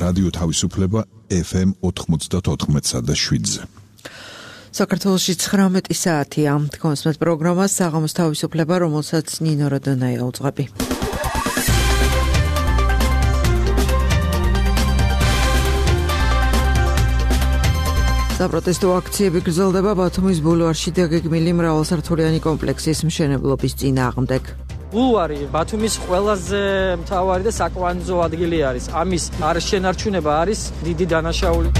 რადიო თავისუფლება FM 94.7-ზე. საქართველოში 19 საათია. თქვენს პროგრამას საღამოს თავისუფლება, რომელსაც ნინო როდონაია უძღვები. საპროტესტო აქციები გრძელდება ბათუმის ბულვარში დაგეგმილი მრავალსართულიანი კომპლექსის მშენებლობის წინააღმდეგ. ბულვარი ბათუმის ყველაზე მთავარი და საკვანძო ადგილი არის. ამის არშენარჩუნება არის დიდი დანაშაული.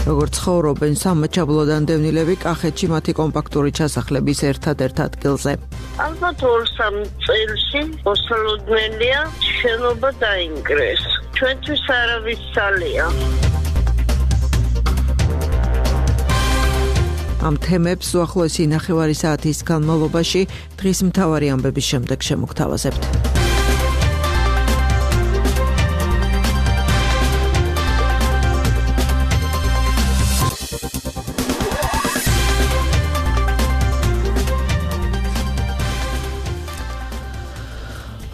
როგორც ცხოვრობენ სამაჩაბლოდან დევნილები კახეთში მათი კომპაქტური ჩასახლების ერთადერთ ადგილზე. ალბათ 2-3 წელში ოსლოდნელია შენობა დაინგრეს. ჩვენთვის არავის სალია. ამ თემებს უახლოესი ნახევარი საათის განმავლობაში დღის მთავარი ამბების შემდეგ შემოგთავაზებთ.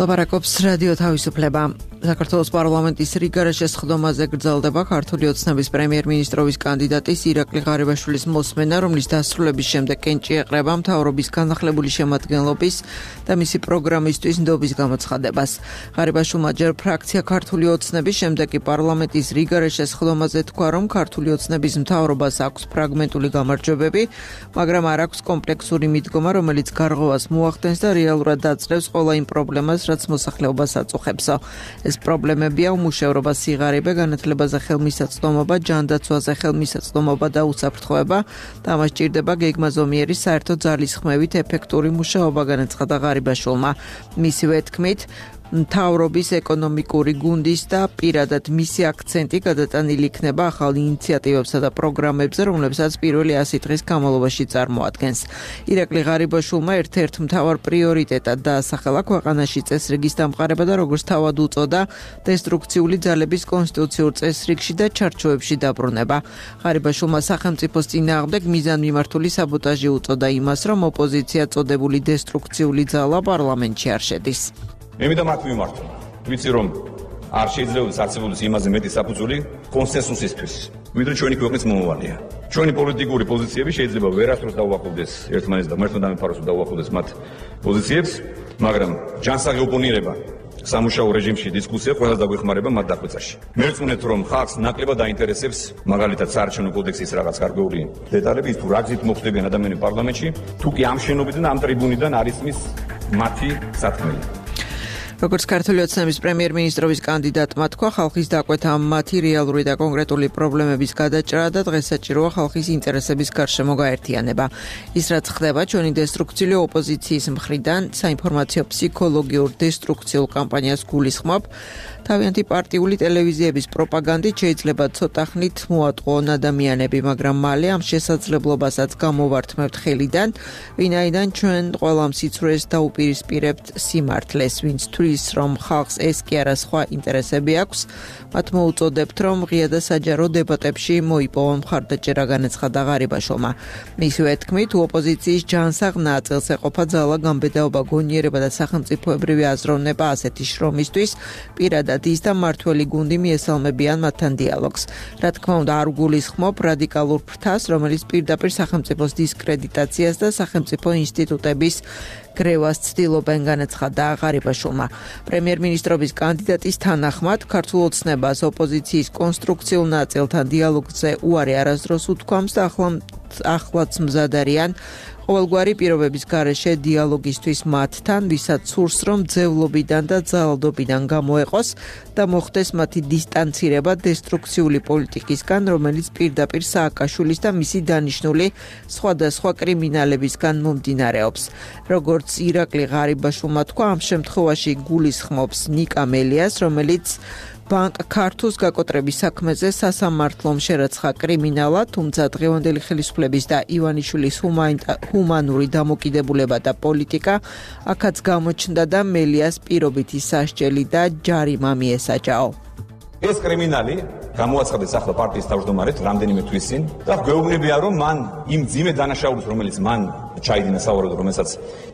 ლაპარაკობს რადიო თავისუფლება. საქართველოს პარლამენტის რიგარას შესხდომაზე გრძელდება ქართული ოცნების პრემიერ-მინისტრობის კანდიდატის ირაკლი ღარიბაშვილის მოსმენა, რომლის დასრულების შემდეგ კენჭი ეყრება მთავრობის განახლებული შემადგენლობის და მისი პროგრამისთვის ნდობის გამოცხადებას. ღარიბაშვილმა ჯერ ფრაქცია ქართული ოცნების, შემდეგ კი პარლამენტის რიგარას შესხდომაზე თქვა, რომ ქართული ოცნების მთავრობას აქვს ფრაგმენტული გამარჯვებები, მაგრამ არ აქვს კომპლექსური მიდგომა, რომელიც გარღვევას მოახდენს და რეალურად დაძლევს ყველა იმ პრობლემას, რაც მოსახლეობას აწუხებსო. ეს პრობლემებია უმუშევრობა, სიღარიბე, განათლებაზე ხელმისაწვდომობა, ჯანდაცვაზე ხელმისაწვდომობა და უსაფრთხოება და ამას ჭირდება გეგმაზომიერი საერთო ძალისხმევით ეფექტური მუშაობა, განაცხადა ღარიბაშვილმა. მისივე თქმით, მთავრობის ეკონომიკური გუნდის და პირადად მისი აქცენტი გადატანილი იქნება ახალ ინიციატივებსა და პროგრამებზე, რომლებსაც პირველი 100 დღის განმავლობაში წარმოადგენს. ირაკლი ღარიბაშვილმა ერთ-ერთ მთავარ პრიორიტეტად დაასახელა ქვეყანაში წესრიგის დამყარება და როგორც თავად უწოდა, დესტრუქციული ძალების კონსტიტუციურ წესრიგში და ჩარჩოებში დაბრუნება. ღარიბაშვილმა სახელმწიფოს წინააღმდეგ მიზანმიმართული საბოტაჟი უწოდა იმას, რომ ოპოზიცია წოდებული დესტრუქციული ძალა პარლამენტში არ შედის. Ემიდა მათ მიმართვა. ვიცი რომ არ შეიძლება საცილოდეს იმაზე მეტი საფუძველი კონსენსუსისთვის. ვიდრე ჩვენი ქვეყნის მომავალია. ჩვენი პოლიტიკური პოზიციები შეიძლება ვერასდროს დაუახლოვდეს ერთმანეთს და მართლა დამეფაროს დაუახლოვდეს მათ პოზიციებს, მაგრამ ჯანსაღი ოპონირება სამუშაო რეჟიმში დისკუსია ყველას დაგვეხმარება მათ დახვეწაში. მერწმუნეთ რომ ხალხს ნაკლებად დაინტერესებს მაგალითად საარჩევნო კოდექსის რაღაც გარკვეული დეტალები, თუ რა გზით მოხდებიან ადამიანები პარლამენტში, თუ კი ამ შენობიდან, ამ ტრიბუნიდან არის მის მათი სათქმელი. როგორც ქართული ოცნების პრემიერ-მინისტრობის კანდიდატმა თქვა, ხალხის დაკვეთა მათი რეალური და კონკრეტული პრობლემების გადაჭრა და დღეს საჭიროა ხალხის ინტერესების გარშემო გაერთიანება. ის რაც ხდება ჩვენი დესტრუქციული ოპოზიციის მხრიდან, საინფორმაციო ფსიქოლოგიურ დესტრუქციულ კამპანიას გულისხმობ. თავიანთი პარტიული ტელევიზიების პროპაგანდით შეიძლება ცოტა ხნით მოატყუონ ადამიანები, მაგრამ მალე ამ შესაძლებლობასაც გამოვართმევთ ხელიდან, ვინაიდან ჩვენ ყველა სიცრუეს დაუპირისპირებთ სიმართლეს, ვინც თვლის რომ ხალხს ეს კი არა სხვა ინტერესები აქვს, მათ მოუწოდებთ რომ ღია და საჯარო დებატებში მოიპოვონ მხარდაჭერა, განაცხადა ღარიბაშვილმა. მისივე თქმით, ოპოზიციის ჯანსაღ ნაწილს ეყოფა ძალა, გამბედაობა, გონიერება და სახელმწიფოებრივი აზროვნება ასეთი შრომისთვის, პირადად ის და მართველი გუნდი მიესალმებიან მათთან დიალოგს. რა თქმა უნდა, არ გულისხმობ რადიკალურ ფრთას, რომელიც პირდაპირ სახელმწიფოს დისკრედიტაციას და სახელმწიფო ინსტიტუტების გრევას ცდილობენ, განაცხადა ღარიბაშვილმა. პრემიერ-მინისტრობის კანდიდატის თანახმად, ქართულ ოცნებას ოპოზიციის კონსტრუქციულ ნაწილთან დიალოგზე უარი არასდროს უთქვამს და ახლაც მზად არიან ყოველგვარი პირობების გარეშე დიალოგისთვის მათთან, ვისაც სურს რომ ძევლობიდან და ძალადობიდან გამოეყოს და მოხდეს მათი დისტანცირება დესტრუქციული პოლიტიკისგან, რომელიც პირდაპირ სააკაშვილის და მისი დანიშნული სხვადასხვა კრიმინალებისგან მომდინარეობს. როგორც ირაკლი ღარიბაშვილმა თქვა, ამ შემთხვევაში გულისხმობს ნიკა მელიას, რომელიც ბანკ ქართულს გაკოტრების საქმეზე სასამართლომ შერაცხა კრიმინალად, თუმცა დღევანდელი ხელისუფლების და ივანიშვილის ჰუმანური დამოკიდებულება და პოლიტიკა აქაც გამოჩნდა და მელიას პირობითი სასჯელი და ჯარიმა მიესაჯაო. ეს კრიმინალი გამოაცხადეს ახლა პარტიის თავმჯდომარედ რამდენიმე თვის წინ და გვეუბნებია რომ მან იმ ძიმე დანაშაულს რომელიც მან ჩაიდინა სავარაუდოდ რომელსაც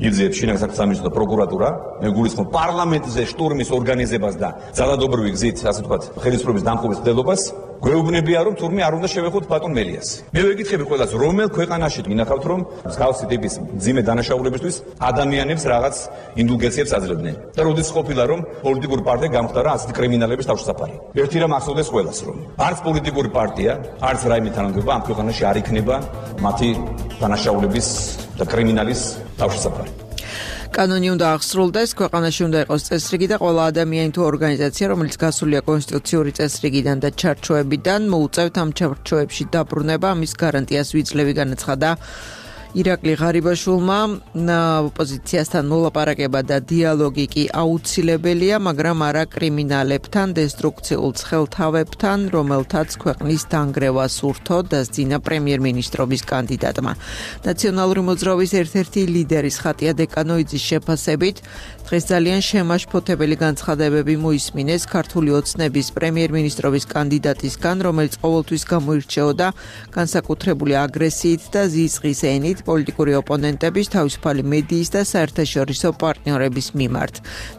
იძლეებს შინაგან საქმეთა სამინისტრო და პროკურატურა მე გულისხმობ პარლამენტზე შტურმის ორგანიზებას და ძალადობრივი გზით ასე ვთქვათ ხელისუფლების დამხობის მცდელობას გვეუბნებია რომ თურმე არ უნდა შევეხოთ ბატონ მელიას. მე ვეკითხები ყველას რომელ ქვეყანაში გინახავთ რომ მსგავსი ტიპის ძიმე დანაშაულებისთვის ადამიანებს რაღაც ინდულგენციებს აძლევდნენ და როდის ყოფილა რომ პოლიტიკური პარტია გამხდარა ასეთი კრიმინალების თავშესაფარი. ერთი რამ ახსოვდეს ყველას რომ არც პოლიტიკური პარტია, არც რაიმე თანამდებობა ამ ქვეყანაში არ იქნება მათი დანაშაულების და კრიმინალის თავშესაფარი. კანონი უნდა აღსრულდეს, ქვეყანაში უნდა იყოს წესრიგი და ყველა ადამიანი თუ ორგანიზაცია, რომელიც გასულია კონსტიტუციური წესრიგიდან და ჩარჩოებიდან, მოუწევთ ამ ჩარჩოებში დაბრუნება, ამის გარანტიას ვიძლევი, განაცხადა ირაკლი ღარიბაშვილმა. ოპოზიციასთან მოლაპარაკება და დიალოგი კი აუცილებელია, მაგრამ არა კრიმინალებთან, დესტრუქციულ ცხელთავებთან, რომელთაც ქვეყნის დანგრევა სურთო, დასძინა პრემიერ-მინისტრობის კანდიდატმა. ნაციონალური მოძრაობის ერთ-ერთი ლიდერის ხატია დეკანოიძის შეფასებით, დღეს ძალიან შემაშფოთებელი განცხადებები მოისმინეს ქართული ოცნების პრემიერ-მინისტრობის კანდიდატისგან, რომელიც ყოველთვის გამოირჩეოდა განსაკუთრებული აგრესიით და ზიზღის ენით პოლიტიკური ოპონენტების, თავისუფალი მედიის და საერთაშორისო პარტნიორების მიმართ.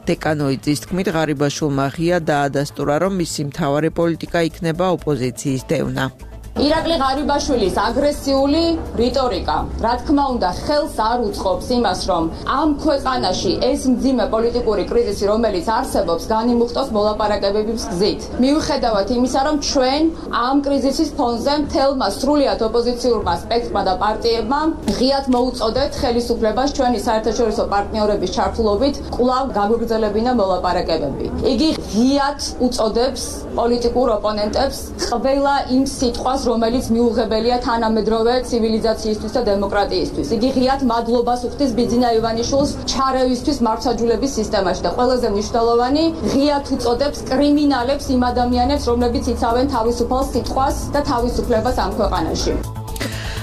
დეკანოიძის თქმით, ღარიბაშვილმა ღია დაადასტურა, რომ მისი მთავარი პოლიტიკა იქნება ოპოზიციის დევნა. ირაკლი ღარიბაშვილის აგრესიული რიტორიკა, რა თქმა უნდა, ხელს არ უწყობს იმას, რომ ამ ქვეყანაში ეს მძიმე პოლიტიკური კრიზისი, რომელიც არსებობს, განიმუხტოს მოლაპარაკებების გზით. მიუხედავად იმისა, რომ ჩვენ ამ კრიზისის ფონზე მთელმა სრულიად ოპოზიციურმა სპექტრმა და პარტიებმა ღიად მოუწოდეთ ხელისუფლებას ჩვენი საერთაშორისო პარტნიორების ჩართულობით კვლავ გაგვიგრძელებინა მოლაპარაკებები. იგი ღიად უწოდებს პოლიტიკურ ოპონენტებს ყველა იმ სიტყვას, რომელიც მიუღებელია თანამედროვე ცივილიზაციისთვის და დემოკრატიისთვის. იგი ღიად მადლობას უხდის ბიძინა ივანიშვილს ჩარევისთვის მართლმსაჯულების სისტემაში და ყველაზე მნიშვნელოვანი, ღიად უწოდებს კრიმინალებს იმ ადამიანებს, რომლებიც იცავენ თავისუფალ სიტყვას და თავისუფლებას ამ ქვეყანაში.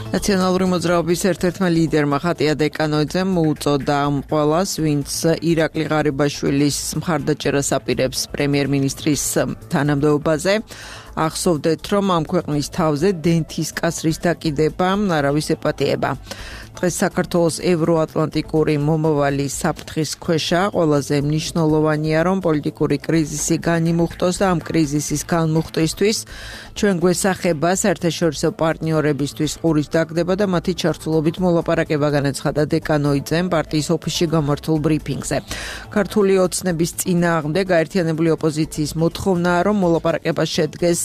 ნაციონალური მოძრაობის ერთ-ერთმა ლიდერმა ხატია დეკანოიძემ მოუწოდა ამ ყველას, ვინც ირაკლი ღარიბაშვილის მხარდაჭერას აპირებს პრემიერ-მინისტრის თანამდებობაზე. ახსოვდეთ, რომ ამ ქვეყნის თავზე დენთის კასრის დაკიდება არავის ეპატიება. დღეს საქართველოს ევროატლანტიკური მომავალი საფრთხის ქვეშა, ყველაზე მნიშვნელოვანია, რომ პოლიტიკური კრიზისი განიმუხტოს და ამ კრიზისის განმუხტვისთვის ჩვენ გვესახება საერთაშორისო პარტნიორებისთვის ყურის დაგდება და მათი ჩართულობით მოლაპარაკება, განაცხადა დეკანოიძემ პარტიის ოფისში გამართულ ბრიფინგზე. ქართული ოცნების წინააღმდეგ გაერთიანებული ოპოზიციის მოთხოვნაა, რომ მოლაპარაკება შედგეს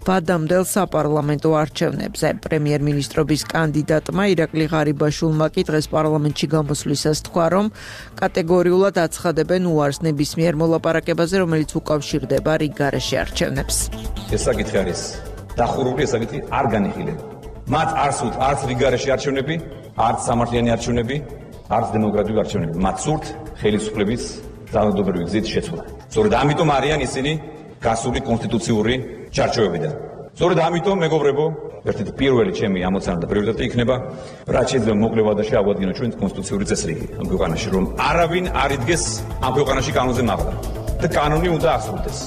ვადამდელ საპარლამენტო არჩევნებზე. პრემიერ-მინისტრობის კანდიდატმა ირაკლი ღარიბაშვილმა კი დღეს პარლამენტში გამოსვლისას თქვა, რომ კატეგორიულად აცხადებენ უარს ნებისმიერ მოლაპარაკებაზე, რომელიც უკავშირდება რიგ გარეშე არჩევნებს. ეს საკითხი არის დახურული, ეს საკითხი არ განიხილება. მათ არ სურთ არც რიგ გარეშე არჩევნები, არც სამართლიანი არჩევნები, არც დემოკრატიული არჩევნები. მათ სურთ ხელისუფლების ძალადობრივი გზით შეცვლა. სწორედ ამიტომ არიან ისინი გასული კონსტიტუციური ჩარჩოებიდან. სწორედ ამიტომ, მეგობრებო, ერთ-ერთი პირველი ჩემი ამოცანა და პრიორიტეტი იქნება, რაც შეიძლება მოკლე ვადაში ავადგინოთ ჩვენ კონსტიტუციური წესრიგი ამ ქვეყანაში, რომ არავინ არ იდგეს ამ ქვეყანაში კანონზე მაღლა და კანონი უნდა აღსრულდეს.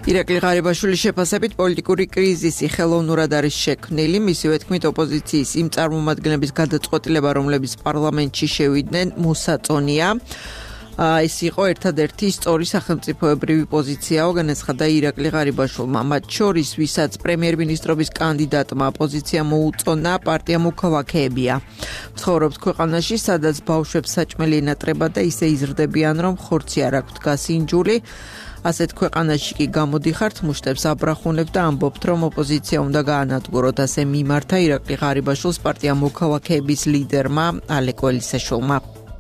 ირაკლი ღარიბაშვილის შეფასებით პოლიტიკური კრიზისი ხელოვნურად არის შექმნილი, მისივე თქმით ოპოზიციის იმ წარმომადგენლების გადაწყვეტილება, რომლებიც პარლამენტში შევიდნენ, მოსაწონია. ეს იყო ერთადერთი სწორი სახელმწიფოებრივი პოზიციაო, განაცხადა ირაკლი ღარიბაშვილმა. მათ შორის, ვისაც პრემიერ-მინისტრობის კანდიდატმა ოპოზიცია მოუწონა, პარტია მოქალაქეებია. ცხოვრობს ქვეყანაში, სადაც ბავშვებს საჭმელი ენატრება და ისე იზრდებიან, რომ ხორცი არ აქვთ გასინჯული. ასეთ ქვეყანაში კი გამოდიხართ, მუშტებს აბრახუნებთ და ამბობთ, რომ ოპოზიცია უნდა გაანადგუროთ, ასე მიმართა ირაკლი ღარიბაშვილს პარტია მოქალაქეების ლიდერმა ალეკო ელისაშვილმა.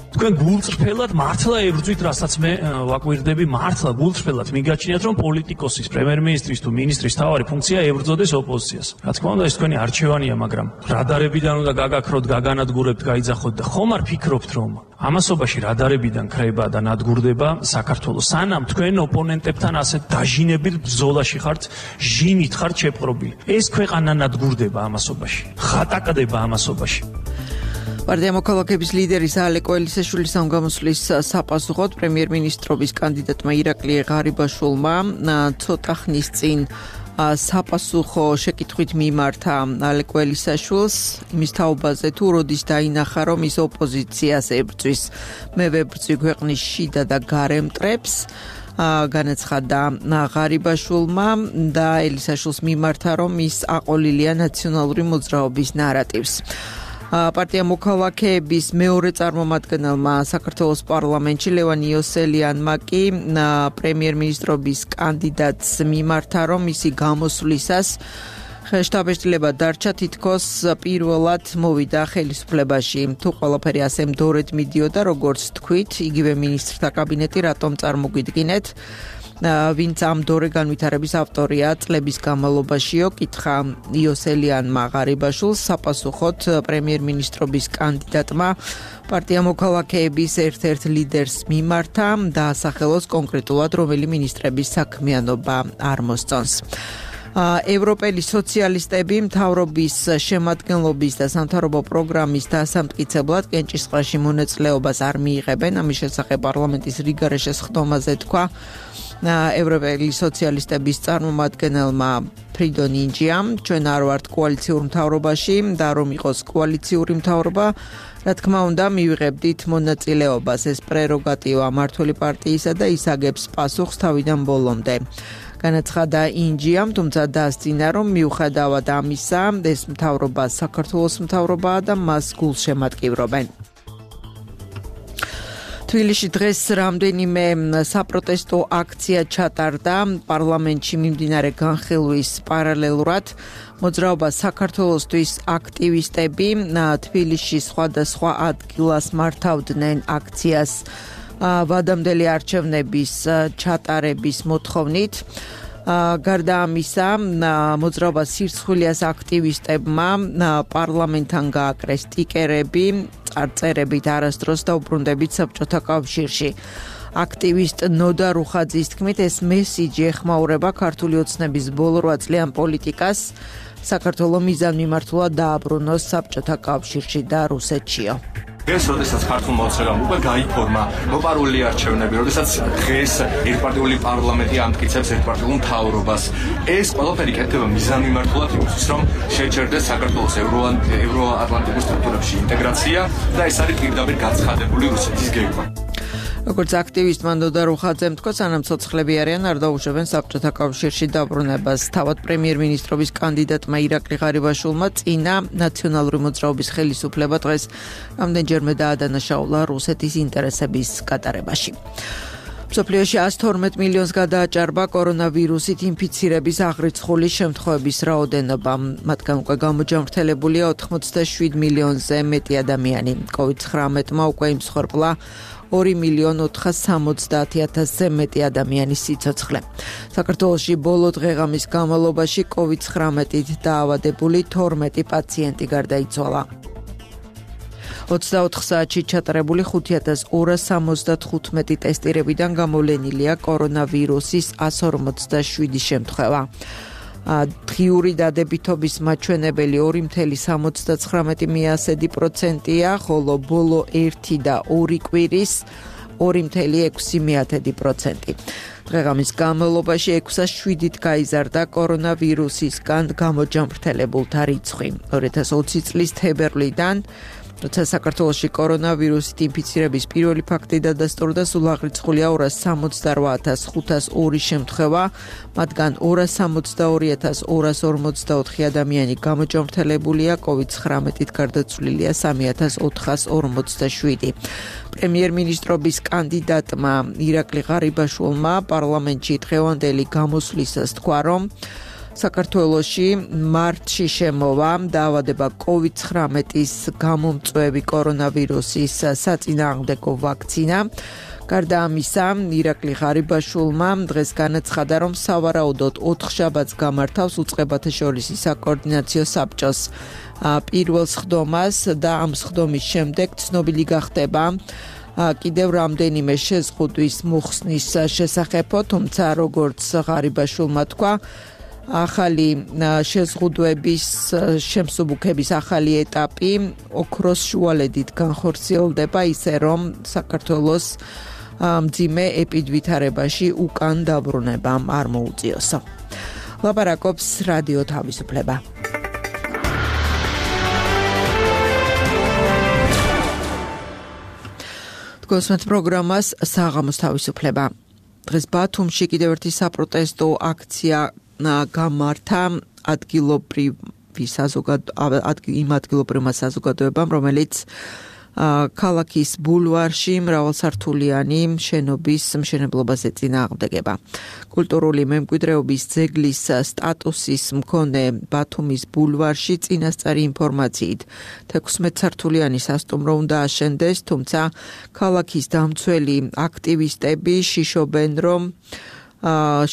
თქვენ გულწრფელად მართლა ებრძვით, რასაც მე ვაკვირდები, მართლა გულწრფელად მიგაჩნიათ, რომ პოლიტიკოსის, პრემიერ-მინისტრის თუ მინისტრის თავარი ფუნქცია ებრძოდეს ოპოზიციას. რა თქმა უნდა, ეს თქვენი არჩევანია, მაგრამ რადარებიდან უნდა გაგაქროთ, გაგანადგურებთ, გაიძახოთ და ხომ არ ფიქრობთ, რომ ამასობაში რადარებიდან ქრება და ნადგურდება საქართველოს. სანამ თქვენ ოპონენტებთან ასეთ დაჟინებით ბრძოლაში ხართ, ჟინით ხართ შეპყრობილი. ეს ქვეყანა ნადგურდება ამასობაში, ხატაკდება ამასობაში. პარტია მოქალაქეების ლიდერის ალეკო ელისაშვილის ამ გამოსვლის საპასუხოდ პრემიერ-მინისტრობის კანდიდატმა ირაკლი ღარიბაშვილმა ცოტა ხნის წინ საპასუხო შეკითხვით მიმართა ალეკ ველისაშვილს იმის თაობაზე თუ როდის დაინახა რომ ის ოპოზიციას ებრძვის მე ვებრძვი ქვეყნის შიდა და გარე მტრებს განაცხადა ღარიბაშვილმა და ელისაშვილს მიმართა რომ ის აყოლილია ნაციონალური მოძრაობის ნარატივს პარტია მოქალაქეების მეორე წარმომადგენელმა საქართველოს პარლამენტში ლევან იოსელიანმა კი პრემიერ-მინისტრობის კანდიდატს მიმართა რომ მისი გამოსვლისას შტაბ-ეშტილება დარჩა თითქოს პირველად მოვიდა ხელისუფლებაში თუ ყველაფერი ასე მდორედ მიდიოდა როგორც თქვით იგივე მინისტრთა კაბინეტი რატომ წარმოგვიდგინეთ ვინც ამ დორე განვითარების ავტორია წლების განმავლობაშიო კითხა იოსელიანმა ღარიბაშვილს საპასუხოდ პრემიერ-მინისტრობის კანდიდატმა პარტია მოქალაქეების ერთ-ერთ ლიდერს მიმართა დაასახელოს კონკრეტულად რომელი მინისტრების საქმიანობა არ მოსწონს ევროპელი სოციალისტები მთავრობის შემადგენლობის და სამთავრობო პროგრამის დასამტკიცებლად კენჭისყრაში მონაწილეობას არ მიიღებენ ამის შესახებ პარლამენტის რიგარეშეს ხდომაზე თქვა ევროპელი სოციალისტების წარმომადგენელმა ფრიდონ ინჯიამ ჩვენ არ ვართ კოალიციურ მთავრობაში და რომ იყოს კოალიციური მთავრობა რა თქმა უნდა მივიღებდით მონაწილეობას ეს პრეროგატივა მმართველი პარტიისა და ის აგებს პასუხს თავიდან ბოლომდე განაცხადა ინჯიამ თუმცა დაასწინა რომ მიუხედავად ამისა ეს მთავრობა საქართველოს მთავრობაა და მას გულშემატკივრობენ თბილისში დღეს რამდენიმე საპროტესტო აქცია ჩატარდა პარლამენტში მიმდინარე განხილვის პარალელურად მოძრაობა საქართველოსთვის აქტივისტები თბილისში სხვადასხვა ადგილას მართავდნენ აქციას ვადამდელი არჩევნების ჩატარების მოთხოვნით გარდა ამისა მოძრაობა სირცხვილიას აქტივისტებმა პარლამენტთან გააკრეს სტიკერები წარწერებით არასდროს დაუბრუნდებით საბჭოთა კავშირში აქტივისტ ნოდა რუხაძის თქმით ეს მესიჯი ეხმაურება ქართული ოცნების ბოლო 8 წლიან პოლიტიკას საქართველოს მიზანმიმართულად დააბრუნოს საბჭოთა კავშირში და რუსეთშიო ეს როდესაც ქართულმა ოცნებამ უკვე გაიფორმა მოპარული არჩევნები, როდესაც დღეს ერთპარტიული პარლამენტი ამტკიცებს ერთპარტიულ მთავრობას, ეს ყველაფერი კეთდება მიზანმიმართულად იმისთვის, რომ შეჩერდეს საქართველოს ევროატლანტიკურ სტრუქტურებში ინტეგრაცია და ეს არის პირდაპირ გაცხადებული რუსეთის გეგმა. როგორც აქტივისტმა ნოდა რუხაძემ თქვა, სანამ ცოცხლები არიან, არ დაუშვებენ საბჭოთა კავშირში დაბრუნებას. თავად პრემიერ-მინისტრობის კანდიდატმა ირაკლი ღარიბაშვილმა წინა ნაციონალური მოძრაობის ხელისუფლება დღეს რამდენჯერმე დაადანაშაულა რუსეთის ინტერესების გატარებაში. მსოფლიოში 112 მილიონს გადააჭარბა კორონავირუსით ინფიცირების აღრიცხული შემთხვევების რაოდენობა. მათგან უკვე გამოჯამრთელებულია 87 მილიონზე მეტი ადამიანი. COVID-19-მა უკვე იმსხვერპლა 2.470.000-ზე მეტი ადამიანის სიცოცხლე. საქართველოში ბოლო დღეღამის განმავლობაში COVID-19-ით დაავადებული 12 პაციენტი გარდაიცვალა. 24 საათში ჩატარებული 5275 ტესტირებიდან გამოვლენილია კორონავირუსის 157 შემთხვევა. დღიური დადებითობის მაჩვენებელი 2.79%-ია, ხოლო ბოლო 1 და 2 კვირის 2.6%. დღეღამის განმავლობაში 607-ით გაიზარდა კორონავირუსისგან გამოჯამრთელებულთა რიცხვი. 2020 წლის თებერვლიდან როცა საქართველოში კორონავირუსით ინფიცირების პირველი ფაქტი დადასტურდა, სულ აღრიცხულია 268,502 შემთხვევა, მათგან 262,244 ადამიანი გამოჯამრთელებულია, COVID-19-ით გარდაცვლილია 3,447. პრემიერ-მინისტრობის კანდიდატმა ირაკლი ღარიბაშვილმა პარლამენტში დღევანდელი გამოსვლისას თქვა, რომ საქართველოში მარტში შემოვა დაავადება COVID-19-ის გამომწვევი კორონავირუსის საწინააღმდეგო ვაქცინა. გარდა ამისა, ირაკლი ღარიბაშვილმა დღეს განაცხადა, რომ სავარაუდოდ 4 შაბათს გამართავს უწყებათა შორისი საკოორდინაციო საბჭოს პირველ სხდომას და ამ სხდომის შემდეგ ცნობილი გახდება კიდევ რამდენიმე შეზღუდვის მოხსნის შესახებო, თუმცა როგორც ღარიბაშვილმა თქვა, ახალი შეზღუდვების შემსუბუქების ახალი ეტაპი ოქროს შუალედით განხორციელდება ისე რომ საქართველოს მძიმე ეპიდვითარებაში უკან დაბრუნებამ არ მოუწიოსო. ლაპარაკობს რადიო თავისუფლება. გოსმეთ პროგრამას საღამოს თავისუფლება. დღეს ბათუმში კიდევ ერთი საპროტესტო აქცია გამართა იმ ადგილობრივმა საზოგადოებამ, რომელიც ქალაქის ბულვარში მრავალსართულიანი შენობის მშენებლობას ეწინააღმდეგება. კულტურული მემკვიდრეობის ძეგლის სტატუსის მქონე ბათუმის ბულვარში წინასწარი ინფორმაციით 16 სართულიანი სასტუმრო უნდა აშენდეს, თუმცა ქალაქის დამცველი აქტივისტები შიშობენ, რომ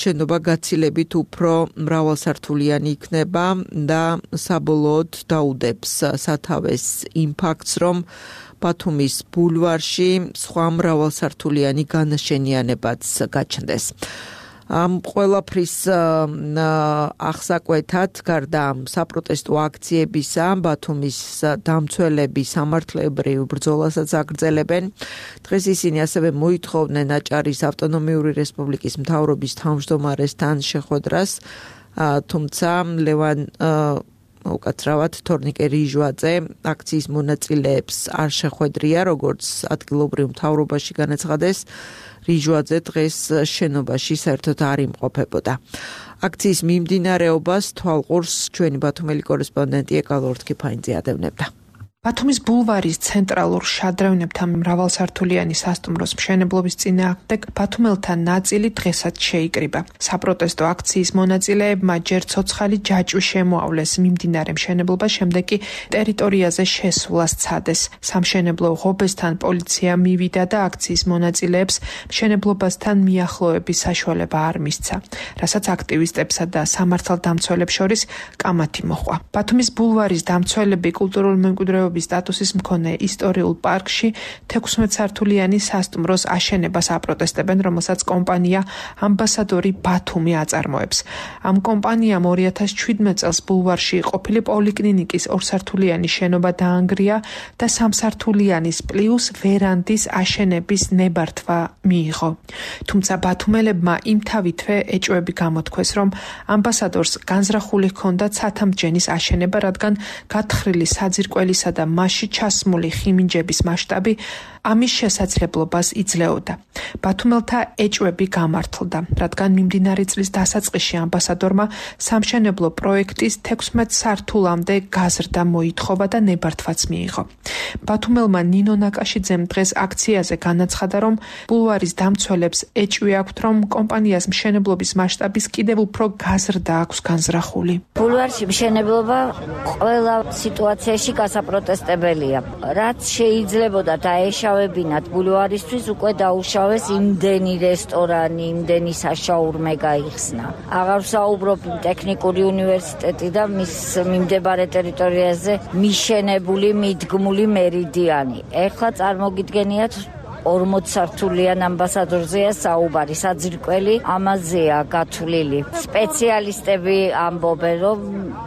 შენობა გაცილებით უფრო მრავალსართულიანი იქნება და საბოლოოდ დაუდებს სათავეს იმ ფაქტს, რომ ბათუმის ბულვარში სხვა მრავალსართულიანი განაშენიანებაც გაჩნდეს. ამ ყველაფრის აღსაკვეთად გარდა საპროტესტო აქციებისა, ბათუმის დამცველები სამართლებრივ ბრძოლასაც აგრძელებენ. დღეს ისინი ასევე მოითხოვდნენ აჭარის ავტონომიური რესპუბლიკის მთავრობის თავმჯდომარესთან შეხვედრას, თუმცა ლევან უკაცრავად თორნიკე რიჟვაძე აქციის მონაწილეებს არ შეხვედრია, როგორც ადგილობრივ მთავრობაში განაცხადეს. რიჟვაძე დღეს შენობაში საერთოდ არ იმყოფებოდა. აქციის მიმდინარეობას თვალყურს ჩვენი ბათუმელი კორესპონდენტი ეკალო ორთქიფაინძე ადევნებდა. ბათუმის ბულვარის ცენტრალურ შადრევნებთან მრავალსართულიანი სასტუმროს მშენებლობის წინააღმდეგ ბათუმელთა ნაწილი დღესაც შეიკრიბა. საპროტესტო აქციის მონაწილეებმა ჯერ ცოცხალი ჯაჭვი შემოავლეს მიმდინარე მშენებლობას, შემდეგ კი ტერიტორიაზე შესვლას ცადეს. სამშენებლო ღობესთან პოლიცია მივიდა და აქციის მონაწილეებს მშენებლობასთან მიახლოების საშუალება არ მისცა, რასაც აქტივისტებსა და სამართალდამცველებს შორის კამათი მოჰყვა. ბათუმის ბულვარის დამცველები კულტურული მემკვიდრეობის სტატუსის მქონე ისტორიულ პარკში 16 სართულიანი სასტუმროს აშენებას აპროტესტებენ, რომელსაც კომპანია ამბასადორი ბათუმი აწარმოებს. ამ კომპანიამ 2017 წელს ბულვარში ყოფილი პოლიკლინიკის 2 სართულიანი შენობა დაანგრია და 3 სართულიანის პლუს ვერანდის აშენების ნებართვა მიიღო. თუმცა ბათუმელებმა იმთავითვე ეჭვები გამოთქვეს, რომ ამბასადორს განზრახული ჰქონდა ცათამბჯენის აშენება, რადგან გათხრილი საძირკველისა და მასში ჩასმული ხიმინჯების მასშტაბი ამის შესაძლებლობას იძლეოდა. ბათუმელთა ეჭვები გამართლდა, რადგან მიმდინარე წლის დასაწყისში ამბასადორმა სამშენებლო პროექტის 16 სართულამდე გაზრდა მოითხოვა და ნებართვაც მიიღო. ბათუმელმა ნინო ნაკაშიძემ დღეს აქციაზე განაცხადა, რომ ბულვარის დამცველებს ეჭვი აქვთ, რომ კომპანიას მშენებლობის მასშტაბის კიდევ უფრო გაზრდა აქვს განზრახული. ბულვარში მშენებლობა ყველა სიტუაციაში გასაპროტესტებელია. რაც შეიძლებოდა დაეშავებინათ ბულვარისთვის, უკვე დაუშავეს იმდენი რესტორანი, იმდენი საშაურმე გაიხსნა. აღარ ვსაუბრობ ტექნიკური უნივერსიტეტი და მის მიმდებარე ტერიტორიაზე მიშენებული მიდგმული მერიდიანი. ეხლა წარმოგიდგენიათ 40 სართულიან ამბასადორზეა საუბარი, საძირკველი ამაზეა გათვლილი. სპეციალისტები ამბობენ, რომ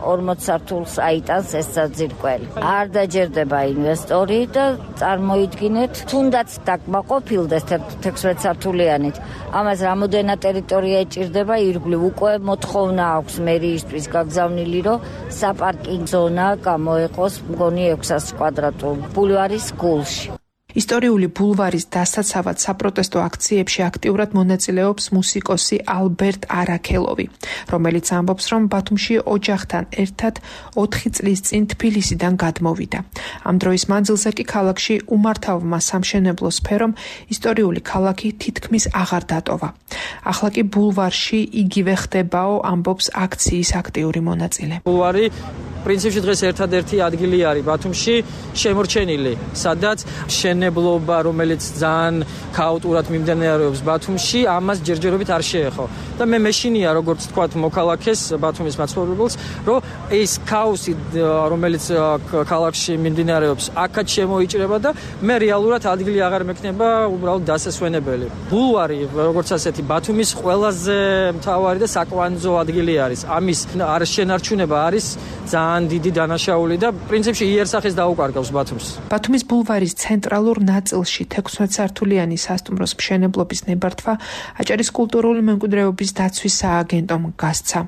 40 სართულს აიტანს ეს საძირკველი. არ დაჯერდება ინვესტორი და წარმოიდგინეთ, თუნდაც დაკმაყოფილდეს 16 სართულიანით. ამას რამოდენად ტერიტორია ეჭირდება ირგვლივ, უკვე მოთხოვნა აქვს მერიისთვის გაგზავნილი, რომ საპარკინგ ზონა გამოეყოს მგონი 600 კვადრატულ ბულვარის გულში. ისტორიული ბულვარის დასაცავად საპროტესტო აქციებში აქტიურად მონაწილეობს მუსიკოსი ალბერტ არაქელოვი, რომელიც ამბობს, რომ ბათუმში ოჯახთან ერთად 4 წლის წინ თბილისიდან გადმოვიდა. ამ დროის მანძილზე კი ქალაქში უმართავმა სამშენებლო სფერომ ისტორიული ქალაქი თითქმის აღარ დატოვა. ახლა კი ბულვარში იგივე ხდებაო, ამბობს აქციის აქტიური მონაწილე. ბულვარი პრინციპში დღეს ერთადერთი ადგილი არის ბათუმში შემორჩენილი, სადაც მშენებლობა, რომელიც ძალიან ქაოტურად მიმდინარეობს ბათუმში, ამას ჯერჯერობით არ შეეხო. და მე მეშინია, როგორც თქვათ, მოქალაქეს ბათუმის მაცხოვრებელს, რომ ეს ქაოსი, რომელიც ქალაქში მიმდინარეობს, აქაც შემოიჭრება და მე რეალურად ადგილი აღარ მექნება უბრალოდ დასასვენებელი. ბულვარი, როგორც ასეთი, ბათუმის ყველაზე მთავარი და საკვანძო ადგილი არის. ამის არ შენარჩუნება არის ძალიან ძალიან დიდი დანაშაული და პრინციპში იერსახეს დაუკარგავს ბათუმს. ბათუმის ბულვარის ცენტრალურ ნაწილში 16 სართულიანი სასტუმროს მშენებლობის ნებართვა აჭარის კულტურული მემკვიდრეობის დაცვის სააგენტომ გასცა.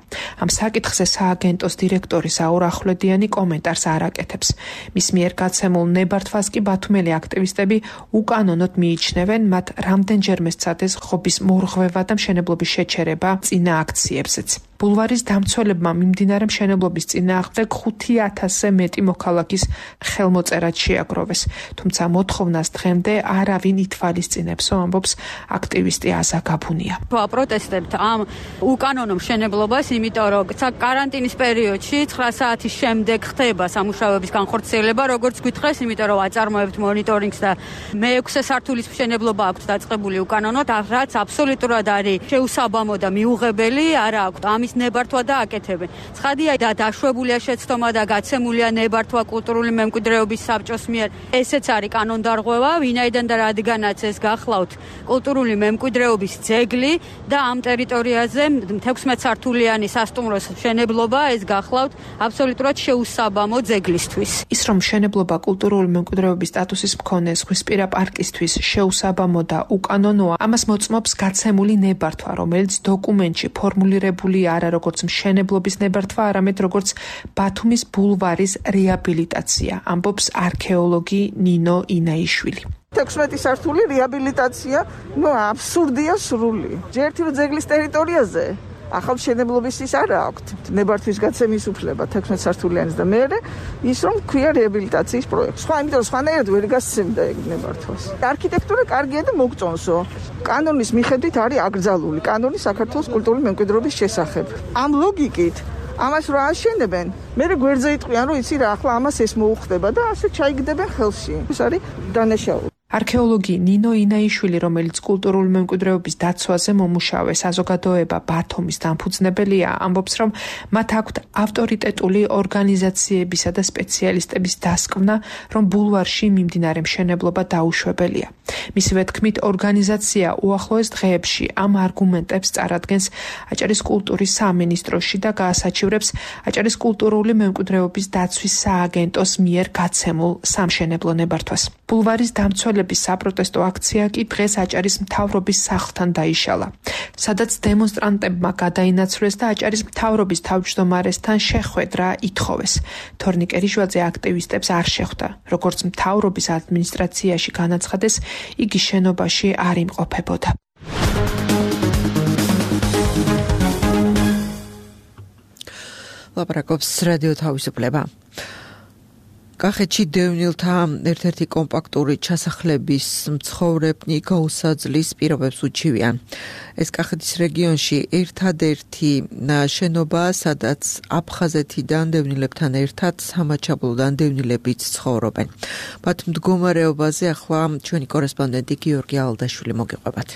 ამ საკითხზე სააგენტოს დირექტორი საურ ახვლედიანი კომენტარს არ აკეთებს. მის მიერ გაცემულ ნებართვას კი ბათუმელი აქტივისტები უკანონოდ მიიჩნევენ, მათ რამდენჯერმე სცადეს ღობის მორღვევა და მშენებლობის შეჩერება წინა აქციებზეც. ბულვარის დამცველებმა მიმდინარე მშენებლობის წინააღმდეგ 5000-ზე მეტი მოქალაქის ხელმოწერად შეაგროვეს, თუმცა მოთხოვნას დღემდე არავინ ითვალისწინებსო, ამბობს აქტივისტი აზა გაბუნია. Პროტესტებთ ამ უკანონო მშენებლობას, იმიტომ რომ კარანტინის პერიოდში 9 საათის შემდეგ ხდება სამუშაოების განხორციელება, როგორც გითხრეს, იმიტომ რომ აწარმოებთ მონიტორინგს და მე-6 სართულის მშენებლობა აქვს დაწყებული უკანონოდ, რაც აბსოლუტურად არის შეუსაბამო და მიუღებელი, არა აქვს ამის ნებართვა და აკეთებენ. ცხადია და დაშვებულია შეცდომა და გაცემულია ნებართვა კულტურული მემკვიდრეობის საბჭოს მიერ. ესეც არის კანონდარღვევა, ვინაიდან და რადგანაც ეს გახლავთ კულტურული მემკვიდრეობის ძეგლი და ამ ტერიტორიაზე 16 სართულიანი სასტუმროს მშენებლობა ეს გახლავთ აბსოლუტურად შეუსაბამო ძეგლისთვის. ის რომ მშენებლობა კულტურული მემკვიდრეობის სტატუსის მქონე ზღვისპირა პარკისთვის შეუსაბამო და უკანონოა, ამას მოწმობს გაცემული ნებართვა, რომელიც დოკუმენტში ფორმულირებული არა როგორც მშენებლობის ნებართვა, არამედ როგორც ბათუმის ბულვარის რეაბილიტაცია, ამბობს არქეოლოგი ნინო ინაიშვილი. 16 სართული რეაბილიტაცია, აბსურდია სრული. ერთი რომ ძეგლის ტერიტორიაზე ახალ მშენებლობის ის არა აქვთ. ნებართვის გაცემის უფლება 16 სართულიანის და მეორე ის რომ ქვია რეაბილიტაციის პროექტი. იმიტომ რომ სხვანაირად ვერ გასცემდა ეგ ნებართვას. არქიტექტურა კარგია და მოგწონსო. კანონის მიხედვით არის აკრძალული კანონი საქართველოს კულტურული მემკვიდრეობის შესახებ. ამ ლოგიკით ამას რა აშენებენ? მე გვერდზე იტყვიან რომ იცი რა, ახლა ამას ეს მოუხდება და ასე ჩაიგდებენ ხელში. ეს არის დანაშაული. არქეოლოგი ნინო ინაიშვილი, რომელიც კულტურული მემკვიდრეობის დაცვაზე მომუშავე საზოგადოება ბათუმის დამფუძნებელია, ამბობს, რომ მათ აქვთ ავტორიტეტული ორგანიზაციებისა და სპეციალისტების დასკვნა, რომ ბულვარში მიმდინარე მშენებლობა დაუშვებელია. მისივე თქმით, ორგანიზაცია უახლოეს დღეებში ამ არგუმენტებს წარადგენს აჭარის კულტურის სამინისტროში და გაასაჩივრებს აჭარის კულტურული მემკვიდრეობის დაცვის სააგენტოს მიერ გაცემულ სამშენებლო ნებართვას. ბულვარის დამცველების საპროტესტო აქცია კი დღეს აჭარის მთავრობის სახლთან დაიშალა, სადაც დემონსტრანტებმა გადაინაცვლეს და აჭარის მთავრობის თავმჯდომარესთან შეხვედრა ითხოვეს. თორნიკე რიშვაძე აქტივისტებს არ შეხვდა. როგორც მთავრობის ადმინისტრაციაში განაცხადეს, იგი შენობაში არ იმყოფებოდა. ლაპარაკობს რადიო თავისუფლება. კახეთში დევნილთა ერთ-ერთი კომპაქტური ჩასახლების მცხოვრებნი გაუსაძლის პირობებს უჩივიან. ეს კახეთის რეგიონში ერთადერთი შენობაა, სადაც აფხაზეთიდან დევნილებთან ერთად სამაჩაბლოდან დევნილებიც ცხოვრობენ. მათ მდგომარეობაზე ახლა ჩვენი კორესპონდენტი გიორგი ალდაშვილი მოგიყვებათ.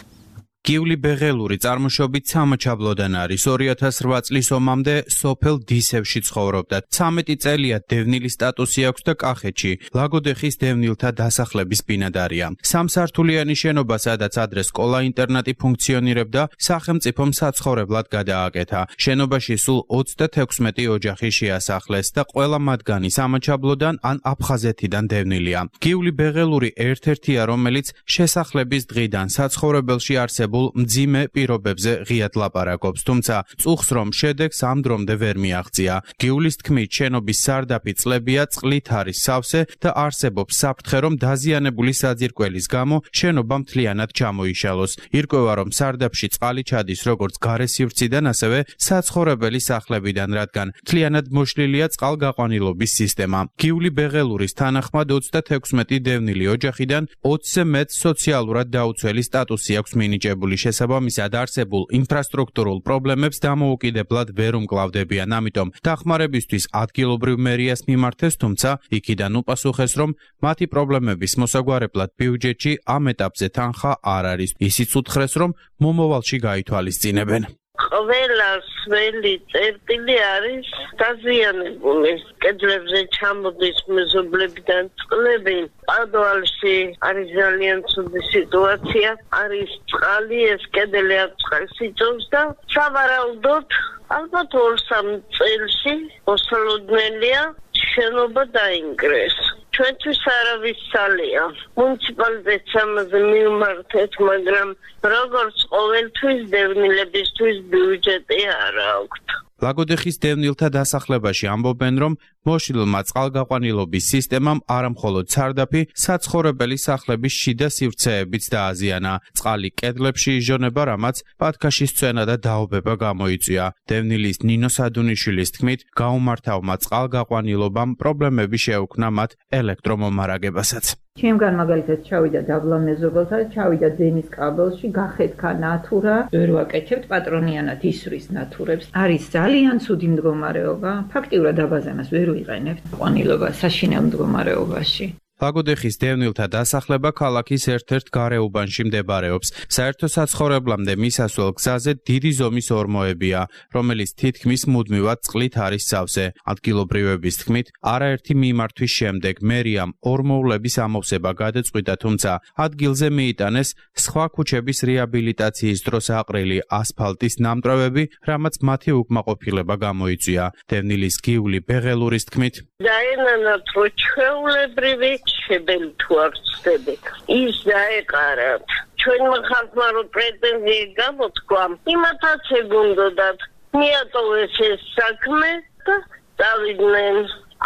გიული ბეღელური წარმოშობით სამაჩაბლოდან არის. 2008 წლის ომამდე სოფელ დისევში ცხოვრობდა. 13 წელია დევნილის სტატუსი აქვს და კახეთში ლაგოდეხის დევნილთა დასახლების ბინადარია. სამსართულიანი შენობა, სადაც ადრე სკოლა-ინტერნატი ფუნქციონირებდა, სახელმწიფომ საცხოვრებლად გადააკეთა. შენობაში სულ 36 ოჯახი შეასახლეს და ყველა მათგანი სამაჩაბლოდან ან აფხაზეთიდან დევნილია. გიული ბეღელური ერთ-ერთია, რომელიც შესახლების დღიდან საცხოვრებელში არსებულ მძიმე პირობებზე ღიად ლაპარაკობს, თუმცა წუხს რომ შედეგს ამ დრომდე ვერ მიაღწია. გიulis თქმით, შენობის სარდაფი წლებია, წყლით არის სავსე და არსებობს საფრთხე, რომ დაზიანებული საძირკველის გამო შენობა მთლიანად ჩამოიშალოს. ირკვევა, რომ სარდაფში წყალი ჩადის როგორც გარესივრციდან, ასევე საცხოვრებელი სახლებიდან, რადგან მთლიანად მოშლილია წყალგაყვანილობის სისტემა. გიული ბეღელურის თანახმად 36 დევნილი ოჯახიდან 20-ზე მეტ სოციალურად დაუცველი სტატუსი აქვს მინიჭებული. შესაბამისად არსებულ ინფრასტრუქტურულ პრობლემებს დამოუკიდებლად ვერ უმკლავდებიან. ამიტომ დახმარებისთვის ადგილობრივ მერიას მიმართეს, თუმცა იქიდან უპასუხეს, რომ მათი პრობლემების მოსაგვარებლად ბიუჯეტში ამ ეტაპზე თანხა არ არის. ისიც უთხრეს, რომ მომავალში გაითვალისწინებენ. ყველა სველი წერტილი არის დაზიანებული. კედლებზე ჩამოდის მეზობლებიდან წყლები. პადუალში არის ძალიან ცუდი სიტუაცია. არის წყალი, ეს კედელი წყალს იწვევს და სავარაუდოდ ალბათ 2-3 წელში მოსალოდნელია შენობა დაინგრეს. ჩვენთვის არავის სალია. მუნიციპალიტეტს ამაზე მივმართეთ, მაგრამ როგორც ყოველთვის დევნილებისთვის ბიუჯეტი არ აქვთ. ლაგოდეხის დევნილთა დასახლებაში ამბობენ, რომ მოშლილმა წყალგაყვანილობის სისტემამ არამხოლოდ სარდაფი, საცხოვრებელი სახლების შიდა სივრცეებიც დააზიანა. წყალი კედლებში იზжоნება, რამაც ბათქაშის წვენა და დაობება გამოიწვია. დევნილის ნინო სადუნიშვილის თქმით, გაუმართავმა წყალგაყვანილობამ პრობლემები შეუქმნა მათ ელექტრომომარაგებასაც. ჩემგან მაგალითად ჩავიდა დაბლა მეზობელთა, ჩავიდა დენის კაბელში, გახეთქა ნათურა, ვერ ვაკეთებთ პატრონიანად ისვრის ნათურებს. არის ძალიან ცუდი მდგომარეობა, ფაქტიურად აბაზანას ვერ ვიყენებთ ყვანილობა საშინელ მდგომარეობაში. ლაგოდეხის დევნილთა დასახლება ქალაქის ერთ-ერთ გარეუბანში მდებარეობს. საერთო საცხოვრებლამდე მისასვლელ გზაზე დიდი ზომის ორმოებია, რომელიც თითქმის მუდმივად წყლით არის სავსე. ადგილობრივების თქმით, არაერთი მიმართვის შემდეგ მერიამ ორმოულების ამოვსება გადაწყვიტა, თუმცა ადგილზე მიიტანეს სხვა ქუჩების რეაბილიტაციის დროს აყრილი ასფალტის ნამტვრევები, რამაც მათი უკმაყოფილება გამოიწვია. დევნილის გიული ბეღელურის თქმით, დაენანათ რო ჩვეულებრივი შებელი თუ არ ვწდებით. ის დაეყარათ. ჩვენმა ხალხმა რო პრეტენზიები გამოთქვა, იმათაც ეგონდოდათ მიატოვეს ეს საქმე და დავიდნენ.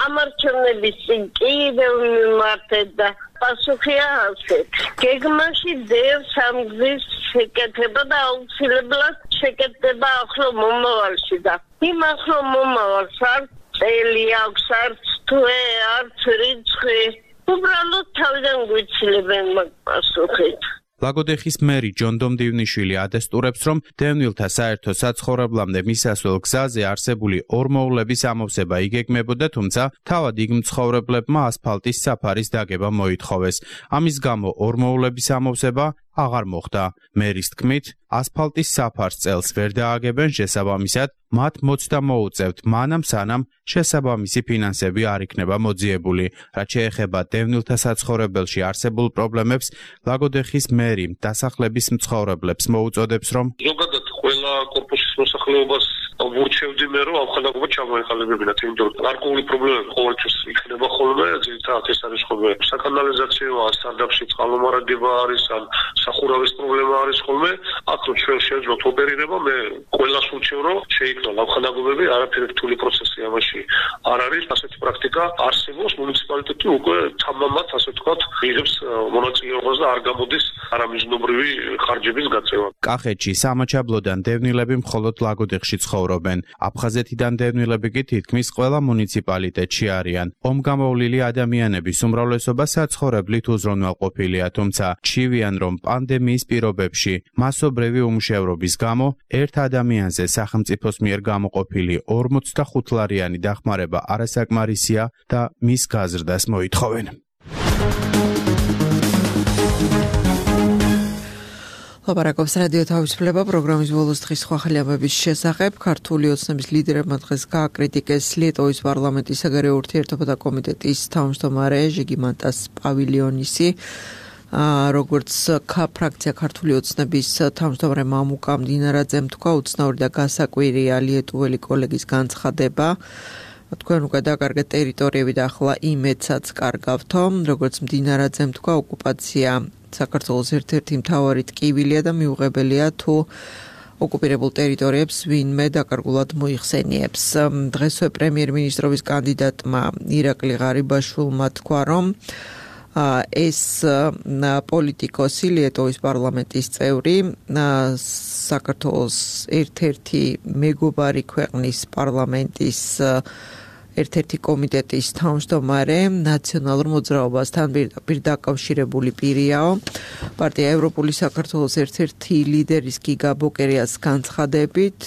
ამარჩევნების წინ კიდევ მიმართეთ და პასუხია ასეთ. გეგმაში დევს ამ გზის შეკეთება და აუცილებლად შეკეთება ახლო მომავალში და იმ ახლო მომავალს არც წელი აქვს, არც თვე, არც რიცხვი. უბრალოდ თავიდან გვიცილებენ მაგ პასუხით. ლაგოდეხის მერი ჯონ დომდივნიშვილი ადესტურებს, რომ დევნილთა საერთო საცხოვრებლამდე მისასვლელ გზაზე არსებული ორმოულების ამოვსება იგეგმებოდა, თუმცა თავად იქ მცხოვრებლებმა ასფალტის საფარის დაგება მოითხოვეს. ამის გამო ორმოულების ამოვსება აღარ მოხდა. მერის თქმით, ასფალტის საფარს წელს ვერ დააგებენ, შესაბამისად, მათ მოცდა მოუწევთ, მანამ სანამ შესაბამისი ფინანსები არ იქნება მოძიებული. რაც შეეხება დევნილთა საცხოვრებელში არსებულ პრობლემებს, ლაგოდეხის მერი დასახლების მცხოვრებლებს მოუწოდებს, რომ ზოგადად ყველა კორპუსის მოსახლეობას ვურჩევდი მე, რომ ამხანაგობა ჩამოეყალიბებინათ, იმიტომ რომ გარკვეული პრობლემები ყოველთვის იქნება ხოლმე, ძირითადად ეს არის ხოლმე საკანალიზაციო, ან სარდაფში წყალმომარაგება არის, ან სახურავის პრობლემა არის ხოლმე. აქ რო ჩვენ შევძლოთ ოპერირება, მე ყველას ვურჩევ, რომ შეიქმნა ამხანაგობები, არაფერი რთული პროცესი ამაში არ არის. ასეთი პრაქტიკა არსებობს, მუნიციპალიტეტი უკვე თამამად, ასე ვთქვათ, იღებს მონაწილეობას და არ გამოდის არამიზნობრივი ხარჯების გაწევა. კახეთში სამაჩაბლოდან დევნილები მხოლოდ ლაგოდეხში ცხოვრობენ. აფხაზეთიდან დევნილები კი თითქმის ყველა მუნიციპალიტეტში არიან. ომგამოვლილი ადამიანების უმრავლესობა საცხოვრებლით უზრუნველყოფილია, თუმცა ჩივიან, რომ პანდემიის პირობებში მასობრივი უმუშევრობის გამო ერთ ადამიანზე სახელმწიფოს მიერ გამოყოფილი 45 ლარიანი დახმარება არასაკმარისია და მის გაზრდას მოითხოვენ. ლაპარაკობს რადიო თავისუფლება პროგრამის ბოლოს დღის სხვა ხალხების შესახებ. ქართული ოცნების ლიდერებმა დღეს გააკრიტიკეს ლიტოვის პარლამენტის საგარეო ურთიერთობათა კომიტეტის თავმჯდომარე ჟიგიმანტას პავილიონისი. როგორც ფრაქცია ქართული ოცნების თავმჯდომარე მამუკა მდინარაძემ თქვა, უცნაური და გასაკვირია ლიეტუველი კოლეგის განცხადება. თქვენ უკვე დაკარგეთ ტერიტორიები და ახლა იმედსაც კარგავთო. როგორც მდინარაძემ თქვა, ოკუპაცია საქართველოს ერთ-ერთი მთავარი ტკივილია და მიუღებელია თუ ოკუპირებულ ტერიტორიებს ვინმე დაკარგულად მოიხსენიებს. დღესვე პრემიერ-მინისტრობის კანდიდატმა ირაკლი ღარიბაშვილმა თქვა, რომ ეს პოლიტიკოსი ლიტოვის პარლამენტის წევრი საქართველოს ერთ-ერთი მეგობარი ქვეყნის პარლამენტის ერთ-ერთი კომიტეტის თავმჯდომარე ნაციონალურ მოძრაობასთან პირდაპირ დაკავშირებული პირიაო. პარტია ევროპული საქართველოს ერთ-ერთი ლიდერის გიგა ბოკერიას განცხადებით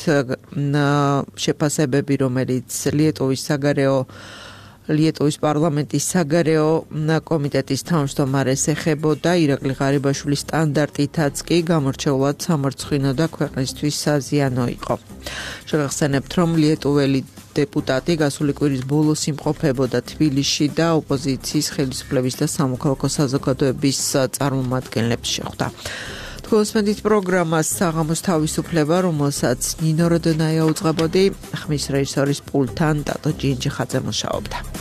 შეფასებები, რომელიც ლიტოვის საგარეო ლიეტუვის პარლამენტის საგარეო კომიტეტის თავმჯდომარეს ეხებოდა. ირაკლი ღარიბაშვილის სტანდარტითაც კი გამორჩეულად სამარცხვინო და ქვეყნისთვის საზიანო იყო. შევახსენებთ, რომ ლიეტუველი დეპუტატი გასული კვირის ბოლოს იმყოფებოდა თბილისში და ოპოზიციის ხელისუფლების და სამოქალაქო საზოგადოების წარმომადგენლებს შეხვდა. გოსმენდით პროგრამას საღამოს თავისუფლება, რომელსაც ნინო როდონაია უძღვებოდი, ხმის რეჟისორის პულტთან დატო ჯინჯიხაძე მუშაობდა.